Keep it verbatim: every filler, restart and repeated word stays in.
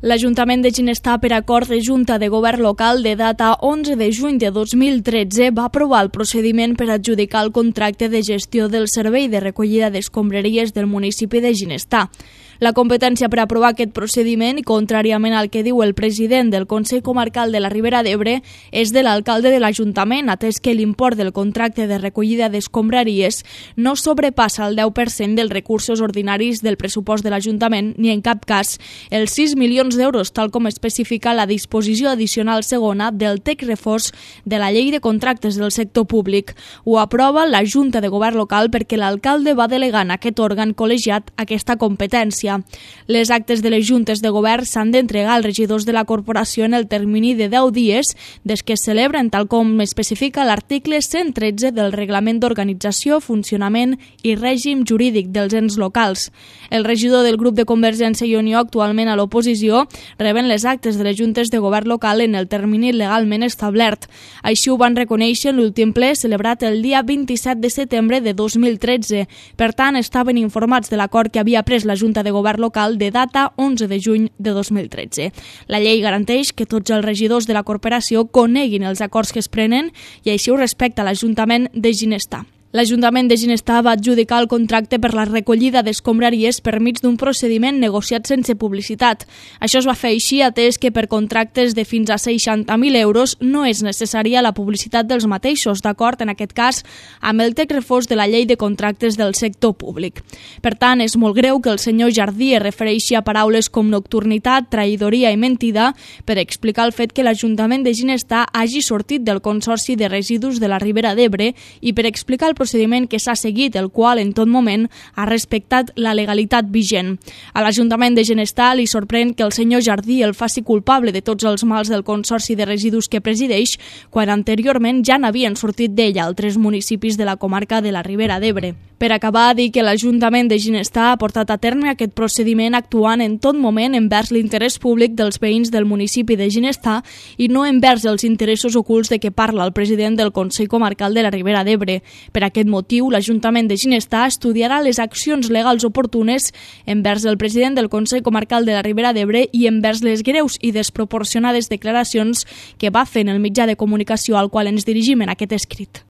L'Ajuntament de Ginestar, per acord de Junta de Govern Local de data onze de juny de dos mil tretze, va aprovar el procediment per adjudicar el contracte de gestió del servei de recollida d'escombraries del municipi de Ginestar. La competència per aprovar aquest procediment, i contràriament al que diu el president del Consell Comarcal de la Ribera d'Ebre, és de l'alcalde de l'Ajuntament, atès que l'import del contracte de recollida d'escombraries no sobrepassa el deu per cent dels recursos ordinaris del pressupost de l'Ajuntament, ni en cap cas els sis milions d'euros, tal com especifica la disposició addicional segona del text refós de la Llei de Contractes del Sector Públic. Ho aprova la Junta de Govern Local perquè l'alcalde va delegar en aquest òrgan col·legiat aquesta competència. Les actes de les juntes de govern s'han d'entregar als regidors de la corporació en el termini de deu dies des que es celebren, tal com especifica l'article cent tretze del Reglament d'Organització, Funcionament i Règim Jurídic dels ens locals. El regidor del grup de Convergència i Unió, actualment a l'oposició, reben les actes de les juntes de govern local en el termini legalment establert. Així ho van reconèixer en l'últim ple celebrat el dia vint-i-set de setembre de dos mil tretze. Per tant, estaven informats de l'acord que havia pres la Junta de Govern Local de data onze de juny de dos mil tretze. La llei garanteix que tots els regidors de la corporació coneguin els acords que es prenen i així ho respecta l'Ajuntament de Ginestar. L'Ajuntament de Ginestar va adjudicar el contracte per la recollida d'escombraries per mig d'un procediment negociat sense publicitat. Això es va fer així atès que per contractes de fins a seixanta mil euros no és necessària la publicitat dels mateixos, d'acord, en aquest cas, amb el text refós de la Llei de Contractes del Sector Públic. Per tant, és molt greu que el senyor Jardí es refereixi a paraules com nocturnitat, traïdoria i mentida per explicar el fet que l'Ajuntament de Ginestar hagi sortit del Consorci de Residus de la Ribera d'Ebre i per explicar el procediment que s'ha seguit, el qual en tot moment ha respectat la legalitat vigent. A l'Ajuntament de Ginestar li sorprèn que el senyor Jardí el faci culpable de tots els mals del Consorci de Residus que presideix, quan anteriorment ja n'havien sortit d'ella altres municipis de la comarca de la Ribera d'Ebre. Per acabar, dir que l'Ajuntament de Ginestar ha portat a terme aquest procediment actuant en tot moment envers l'interès públic dels veïns del municipi de Ginestar i no envers els interessos ocults de què parla el president del Consell Comarcal de la Ribera d'Ebre. Per aquest motiu, l'Ajuntament de Ginestar estudiarà les accions legals oportunes envers el president del Consell Comarcal de la Ribera d'Ebre i envers les greus i desproporcionades declaracions que va fer en el mitjà de comunicació al qual ens dirigim en aquest escrit.